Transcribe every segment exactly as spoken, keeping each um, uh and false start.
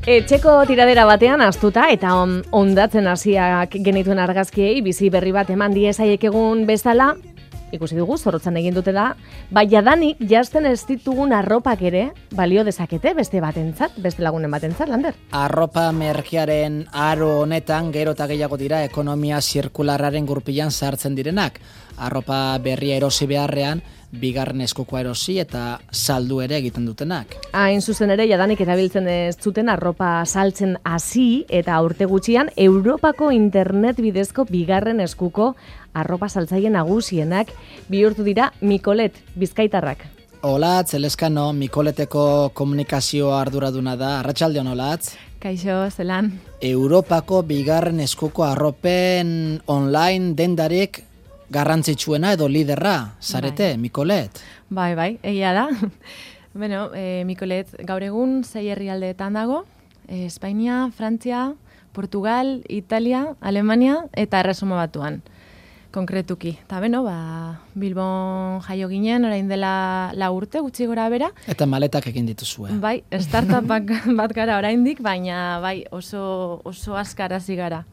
Etxeko tiradera batean astuta eta on, ondatzen hasiak genituen argazkiei bizi berri bat eman diezaiek egun bezala, ikusi dugu zorrotzan egin dutela, bai jadanik jazten ez ditugun arropak ere balio dezakete beste batentzat, beste lagunen batentzat, Lander. Arropa merkearen aro honetan gero eta gehiago dira ekonomia zirkularraren gurpilan sartzen direnak. Arropa berria erosi beharrean, bigarren eskukoa erosi eta saldu ere egiten dutenak. Hain zuzen ere, jadanik erabiltzen ez zuten arropa saltzen hasi eta urte gutxian Europako internet bidezko bigarren eskuko arropa saltzaile nagusienak bihurtu dira Mikolet, Bizkaitarrak. Olatz, Eleskano, Mikoleteko komunikazio arduraduna da. Arratsaldeon, Olatz. Kaixo, zelan. Europako bigarren eskuko arropen online dendarik garrantzitsuena edo liderra, zarete, bai. Mikolet? Bai, bai, egia da. Bueno, e, Mikolet gaur egun sei herrialdeetan dago, e, Espainia, Frantzia, Portugal, Italia, Alemania eta Erresuma Batuan, konkretuki. Eta beno, ba, Bilbon jaio ginen, orain dela lau urte, gutxi gora bera. Eta maletak egin dituzue. Bai, startupak bat gara oraindik, baina bai, oso, oso azkar hasi gara.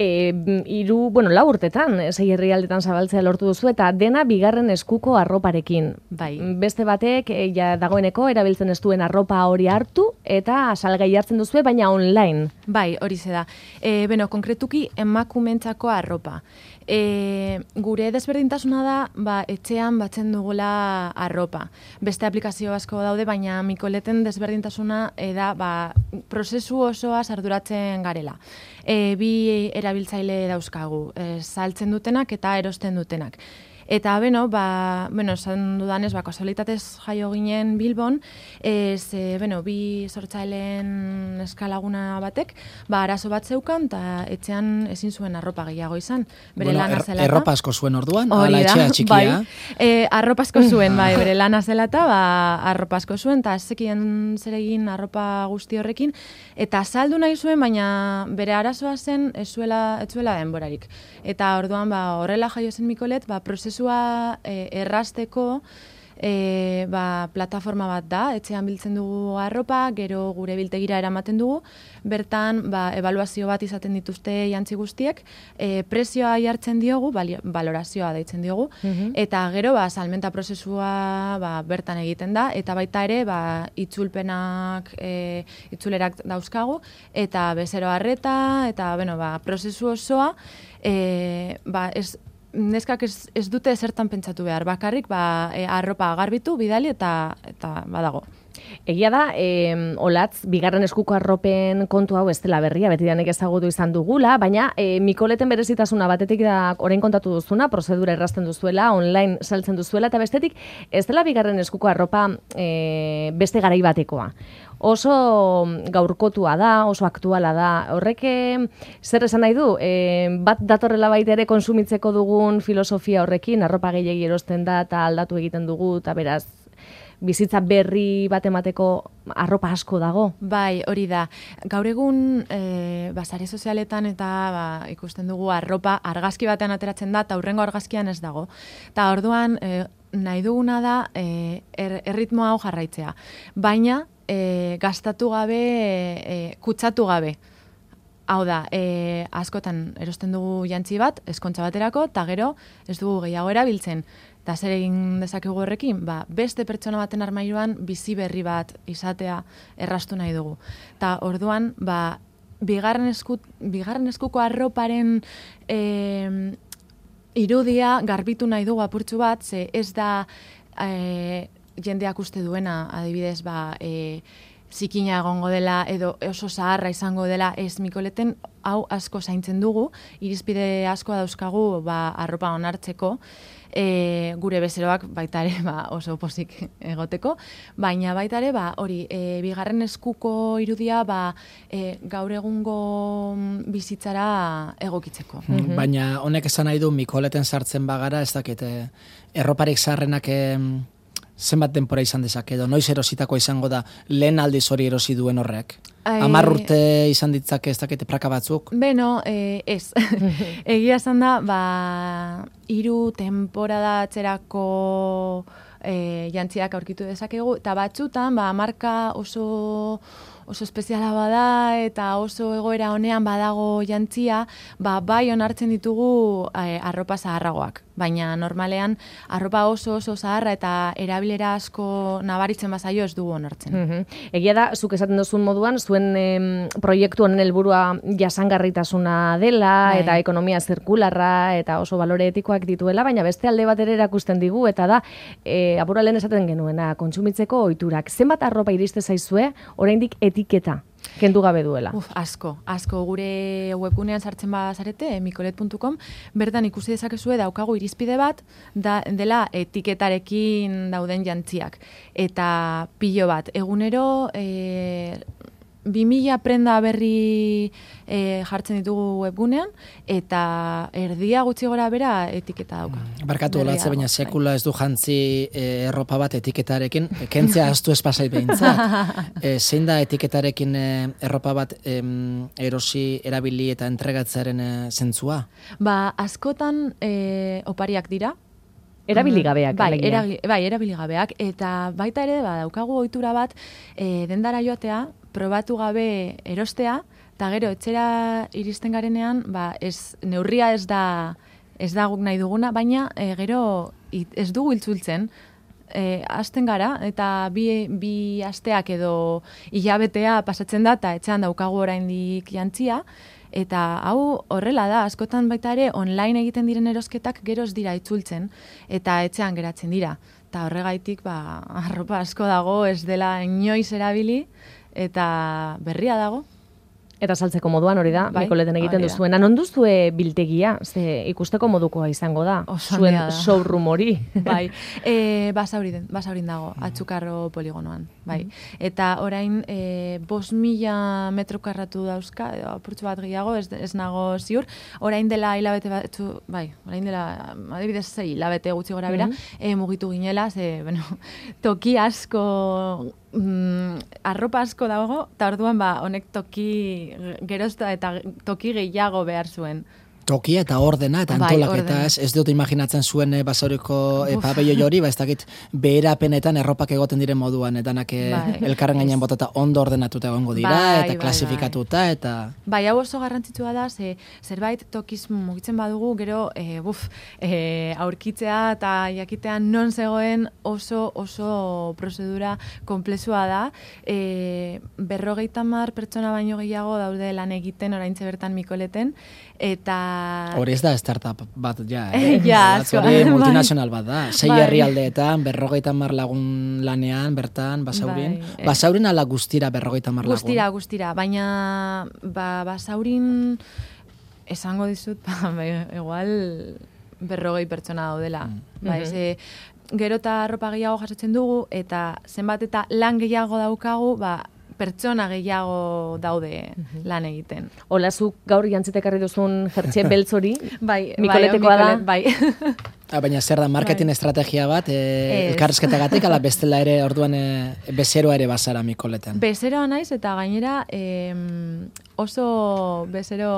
E, iru, bueno, lau urtetan, sei herrialdetan zabaltzea lortu duzu, eta dena bigarren eskuko arroparekin. Bai. Beste batek, e, ja, dagoeneko, erabiltzen ez duen arropa hori hartu, eta salgai hartzen duzu, baina online. Bai, hori ze da. E, beno, konkretuki emakumentzako arropa. E, gure desberdintasuna da, ba, etxean batzen dugula arropa. Beste aplikazio asko daude, baina Mikoleten desberdintasuna e, da, ba, prozesu osoa arduratzen garela. E, bi erabiltzaile dauzkagu, e, saltzen dutenak eta erosten dutenak. Eta, beno, ba, bueno, esan dudanez, ba, kasualitatez jaio ginen Bilbon, ez, e, beno, bi sortzaileen eskalaguna batek, ba, arazo bat zeukan, eta etxean ezin zuen arropa gehiago izan. Bere bueno, lana er, zelata. Erropa asko zuen orduan, ala etxea txikia. Bai, e, arropa asko zuen, bai, bere lana zelata, ba, arropa asko zuen, eta ezekien zer egin arropa guzti horrekin, eta saldu nahi zuen, baina bere arazoa zen ez zuela, ez zuela denborarik. Eta orduan, ba, horrela jaio zen Mikolet, ba, prozesu E, errasteko e, ba, plataforma bat da, etxean biltzen dugu arropa, gero gure biltegira eramaten dugu, bertan ba, ebaluazio bat izaten dituzte jantzi guztiek, e, prezioa jartzen diogu, balorazioa deitzen diogu, mm-hmm. eta gero ba, salmenta prozesua ba, bertan egiten da, eta baita ere ba, itzulpenak, e, itzulerak dauzkagu, eta bezero arreta, eta bueno, ba, prozesu osoa, e, ba, ez neskak ez, ez dute zertan pentsatu behar, bakarrik ba, e, arropa garbitu, bidali eta eta badago. Egia da, e, Olatz, bigarren eskuko arropen kontu hau ez dela berria, betidanik ezagutu izan dugula, baina e, Mikoleten berezitasuna batetik da orain kontatu duzuna, prozedura errazten duzuela, online saltzen duzuela, eta bestetik ez dela bigarren eskuko arropa e, beste garai batekoa. Oso gaurkotua da, oso aktuala da. Horrek zer esan nahi du? E, bat datorrela baita ere konsumitzeko dugun filosofia horrekin, arropa gehiegi erosten da eta aldatu egiten dugu, eta beraz, bizitza berri bat emateko arropa asko dago. Bai, hori da. Gaur egun e, ba, sare sozialetan eta ba, ikusten dugu arropa argazki batean ateratzen da, eta hurrengo argazkian ez dago. Eta orduan e, nahi duguna da e, er, erritmo hau jarraitzea. Baina, E, gastatu gabe, e, kutsatu gabe. Hau da, e, askotan erosten dugu jantzi bat, eskontza baterako, eta gero ez dugu gehiago erabiltzen. Eta zer egin dezakegu horrekin? Ba, beste pertsona baten armairuan bizi berri bat izatea errastu nahi dugu. Eta orduan, ba, bigarren, esku, bigarren eskuko arroparen e, irudia garbitu nahi dugu apurtxu bat, ze ez da E, jendeak uste duena, adibidez, ba, e, zikina egongo dela edo oso zaharra izango dela, ez Mikoleten hau asko zaintzen dugu, irizpide asko dauzkagu ba, arropa onartzeko, e, gure bezeroak baita ere ba, oso pozik egoteko, baina baita ere ba, hori, e, bigarren eskuko irudia ba, e, gaur egungo bizitzara egokitzeko. Mm-hmm. Baina honek esan nahi du Mikoleten sartzen bagara, ez dakite, erroparik zaharrenak zenbat denpora izan dezake edo noiz erositako izango da lehen aldiz hori erosi duen horrek? Hamar urte izan ditzake ez dakite praka batzuk? Beno, e, ez. Egia esan da, ba, hiru temporada atzerako e, jantziak aurkitu dezakegu, eta batzutan, ba, marka oso oso espeziala bada eta oso egoera honean badago jantzia, ba, bai onartzen ditugu e, arropa zaharragoak. Baina normalean arropa oso oso zaharra eta erabilera asko nabaritzen bazaio ez dugu onartzen. Mm-hmm. Egia da, zuk esaten duzun moduan, zuen em, proiektu honen helburua jasangarritasuna dela, bai. Eta ekonomia zirkularra, eta oso balore etikoak dituela, baina beste alde bat ere erakusten digu, eta da, e, apura lehen esaten genuena, kontsumitzeko ohiturak. Zenbat arropa iriste zaizue, oraindik etiketa kendu gabe duela? Uf, asko, asko. Gure webgunean sartzen bazarete, micolet puntu com, bertan ikusi dezakezue daukagu irizpide bat, da, dela etiketarekin dauden jantziak. Eta pilo bat, egunero e, bi mila prenda berri e, jartzen ditugu webgunean, eta erdia gutxi gora bera etiketa dauka. Barkatu olatze, baina sekula ez du jantzi e, erropa bat etiketarekin, kentzea astu espasait behintzat. E, zein da etiketarekin e, erropa bat em, erosi, erabili eta entregatzaren e, zentzua? Ba, askotan e, opariak dira, Erabili gabeak. Bai, erabili, bai, erabili gabeak. Eta baita ere, ba, daukagu ohitura bat, e, dendara joatea, probatu gabe erostea, eta gero etxera iristen garenean, ba, ez, neurria ez da, ez da guk nahi duguna, baina e, gero it, ez dugu itzultzen, e, hasten gara, eta bi, bi asteak edo hilabetea pasatzen da, eta etxean daukagu oraindik jantzia, eta hau horrela da, askotan baita ere online egiten diren erosketak gero ez dira itzultzen, eta etxean geratzen dira. Eta horregaitik, ba, arropa asko dago, ez dela inoiz erabili, eta berria dago. Eta saltzeko moduan hori da, bai, Mikoleten egiten duzuena. Non duzue biltegia? Ze ikusteko modukoa izango da, Oso zuen da. showroom hori. Bai, e, basaurin, basaurin dago, Atxukarro poligonoan. Bai. Eta orain e, bost mila metro karratu dauzka, edo apurtxo bat gehiago, ez, ez nago ziur. Orain dela hilabete bat, bai, orain dela, adibidez, zei hilabete gutxi gora bera, mm-hmm. e, mugitu ginela, ze, bueno, toki asko, Mm, arropa asko dago, eta orduan ba, honek toki gerozta eta toki gehiago behar zuen. Tokia eta ordena eta antolaketa, bai, ez, ez dut imaginatzen zuen e, basauriko e, pabelloi hori, ba, ez dakit beherapenetan erropak egoten diren moduan, etanak e, bai, elkarren gainean botata ondo ordenatuta egongo dira, bai, eta klasifikatuta, bai. Eta... Bai, hau oso garrantzitsua da, ze, zerbait tokiz mugitzen badugu, gero, e, buf, e, aurkitzea eta jakitean non zegoen oso, oso prozedura komplexua da. E, berrogeita hamar pertsona baino gehiago daude lan egiten oraintxe bertan Mikoleten, eta hori ez da startup bat, ja, eh? ja, hori multinazional bat da. Sei herrialdeetan, berrogeita hamar lagun lanean, bertan, basaurin. Bai, basaurin ala guztira berrogeita hamar lagun? Guztira, guztira. Baina, ba, basaurin, esango dizut, ba, igual, berrogei pertsona daudela. Mm. Ba, ez, gero eta arropa gehiago jasotzen dugu, eta zenbat eta lan gehiago daukagu, ba, pertsona gehiago daude mm-hmm. lan egiten. Ola, zuk gaur jantzetekarri duzun jertxe beltz hori, bai, Mikoletekoa bai, da. Bai. Ah, baina zer da, marketing bai. Estrategia bat, e, elkarrezketagatik, ala bestela ere, orduan e, bezeroa ere bazara Mikoleten. Bezeroa naiz, eta gainera e, oso bezero...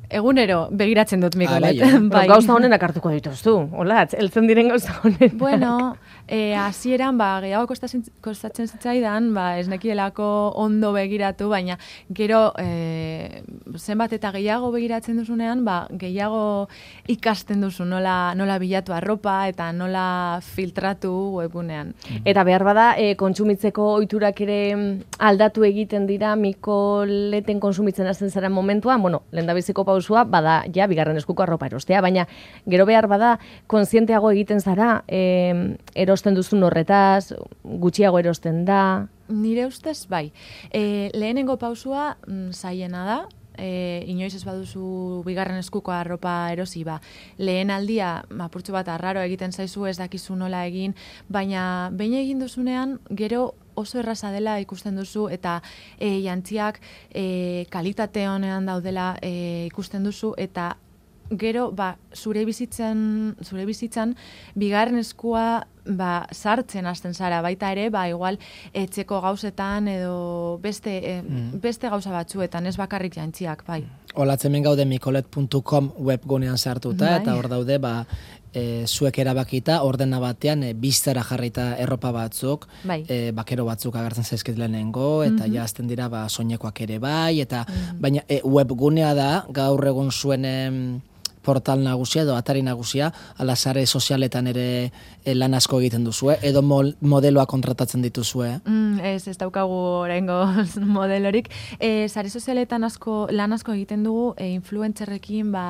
Egunero begiratzen dut Mikolet. Ah, bai, bai. Gauza honenak hartuko dituztu, olatz, heltzen diren gauza honenak. Bueno, e, hasieran ba, gehiago kostatzen, kostatzen zitzaidan, ba, ez nekielako ondo begiratu, baina gero e, zenbat eta gehiago begiratzen duzunean, ba, gehiago ikasten duzu nola, nola bilatu arropa eta nola filtratu webgunean. Eta behar bada, e, kontsumitzeko ohiturak ere aldatu egiten dira Mikoleten kontsumitzen hasten zaren momentuan, bueno, lehendabiziko pausua, bada, ja, bigarren eskuko arropa erostea, baina gero behar bada, kontzienteago egiten zara, e, erosten duzun horretaz, gutxiago erosten da? Nire ustez, bai. E, lehenengo pausua mm, zaiena da, e, inoiz ez baduzu bigarren eskuko arropa erosi, ba, lehen aldia, apurtxo bat arraro egiten zaizu, ez dakizu nola egin, baina behin egin duzunean, gero oso erraza dela ikusten duzu eta e, jantziak e, kalitate honean daudela e, ikusten duzu eta gero ba, zure bizitzen zure bizitzan bigarren eskua ba, sartzen hasten zara, baita ere, ba, igual, etxeko gauzetan edo beste, e, mm. beste gauza batzuetan, ez bakarrik jantziak, bai. Olatzemen gaude mikolet puntu com webgunean sartuta, bai. Eta hor daude, ba, e, zuek erabakita, ordena batean, e, biztara jarrita erropa batzuk, bai. e, bakero batzuk agertzen zaizkit lehenengo, eta mm-hmm. jazten dira, ba, soinekoak ere bai, eta mm-hmm. baina e, webgunea da, gaur egun zuen em, portal nagusia edo atari nagusia, ala sare sozialetan ere e, lan asko egiten duzue, edo mol, modeloa kontratatzen dituzue. Mm, ez, ez daukagu oraingo modelorik. E, sare sozialetan asko, lan asko egiten dugu, e, influencerrekin ba,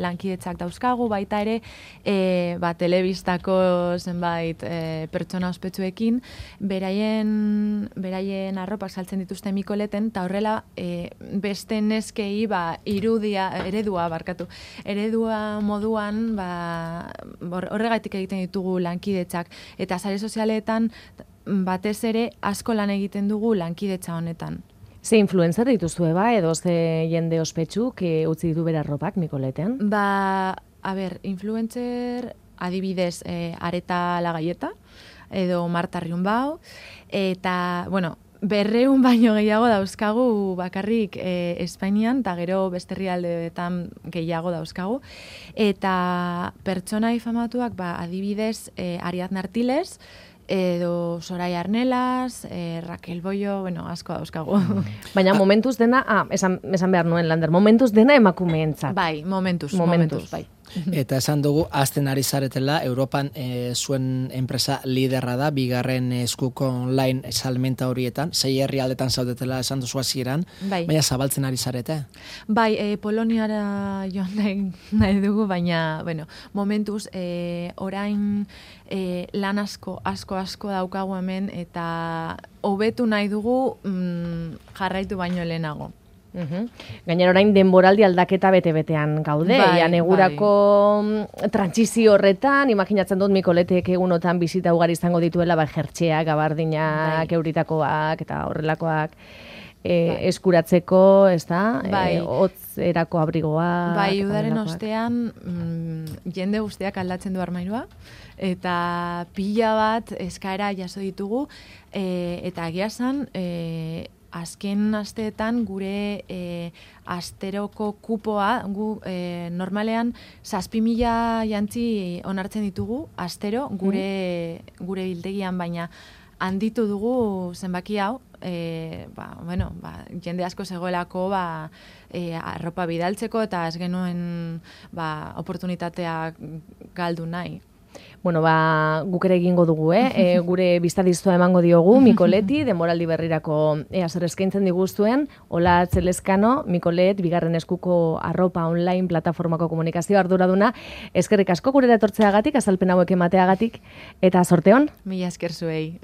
lankidetzak dauzkagu, baita ere, e, ba, telebistako zenbait e, pertsona ospetsuekin, beraien, beraien arropak saltzen dituzte Mikoleten, eta horrela e, beste neskei ba, irudia, eredua barkatu, eredua moduan ba, horregatik egiten ditugu lankidetzak, eta sare sozialetan batez ere asko lan egiten dugu lankidetza honetan. Ze influencer dituzue ba, edo ze jende ospetsuk e, utzi ditu bera arropak Mikoleten? Ba, a ber, influencer adibidez e, Areta Lagaieta, edo Marta Riunbao, eta, bueno, berreun baino gehiago dauzkagu bakarrik e, Espainian, eta gero beste herrialdeetan gehiago dauzkagu. Eta pertsonai famatuak, ba, adibidez, e, Ariadna Artiles, edo Soraya Arnelas, e, Raquel Boyo, bueno, asko dauzkagu. Baina momentuz dena, ah, esan, esan behar nuen, Lander, momentuz dena emakumeentzat. Bai, momentuz, momentuz. momentuz, bai. Eta esan dugu, azten ari zaretela, Europan e, zuen enpresa liderra da, bigarren eskuko online salmenta horietan, sei herrialdetan zaudetela esan duzu hasieran, bai. Baina zabaltzen ari zarete? Bai, e, Poloniara joan nahi, nahi dugu, baina, bueno, momentuz, e, orain e, lan asko, asko, asko daukagu hemen, eta hobetu nahi dugu mm, jarraitu baino lehenago. Uhum. Gainera orain denboraldi aldaketa bete-betean gaude, bai, ja, negurako bai. Trantsizio horretan, imaginatzen dut Mikoletek egunotan bizita ugari izango dituela, bai, jertxeak, gabardinak, bai. Euritakoak eta horrelakoak e, bai. Eskuratzeko, ez da, bai. E, hotzerako abrigoa. Bai, udaren ostean, mm, jende guztiak aldatzen du armairua, eta pila bat eskaera jaso ditugu, e, eta egia esan, e, azken asteetan gure e, asteroko kupoa, gu e, normalean zazpi mila jantzi onartzen ditugu, astero, gure, mm. gure biltegian, baina handitu dugu zenbaki hau, e, ba, bueno, ba, jende asko zegoelako ba, e, arropa bidaltzeko, eta ez genuen ba, oportunitatea galdu nahi. Bueno, ba, guk ere egingo dugu, eh? E, gure biztadiztoa emango diogu, Mikoleti, denboraldi berrirako ea zer eskaintzen diguztuen, Olatz Elezkano, Mikolet, bigarren eskuko arropa online plataformako komunikazio arduraduna, eskerrik asko gure etortzeagatik, azalpen hauek emateagatik, eta sorteon? Mila esker zuei.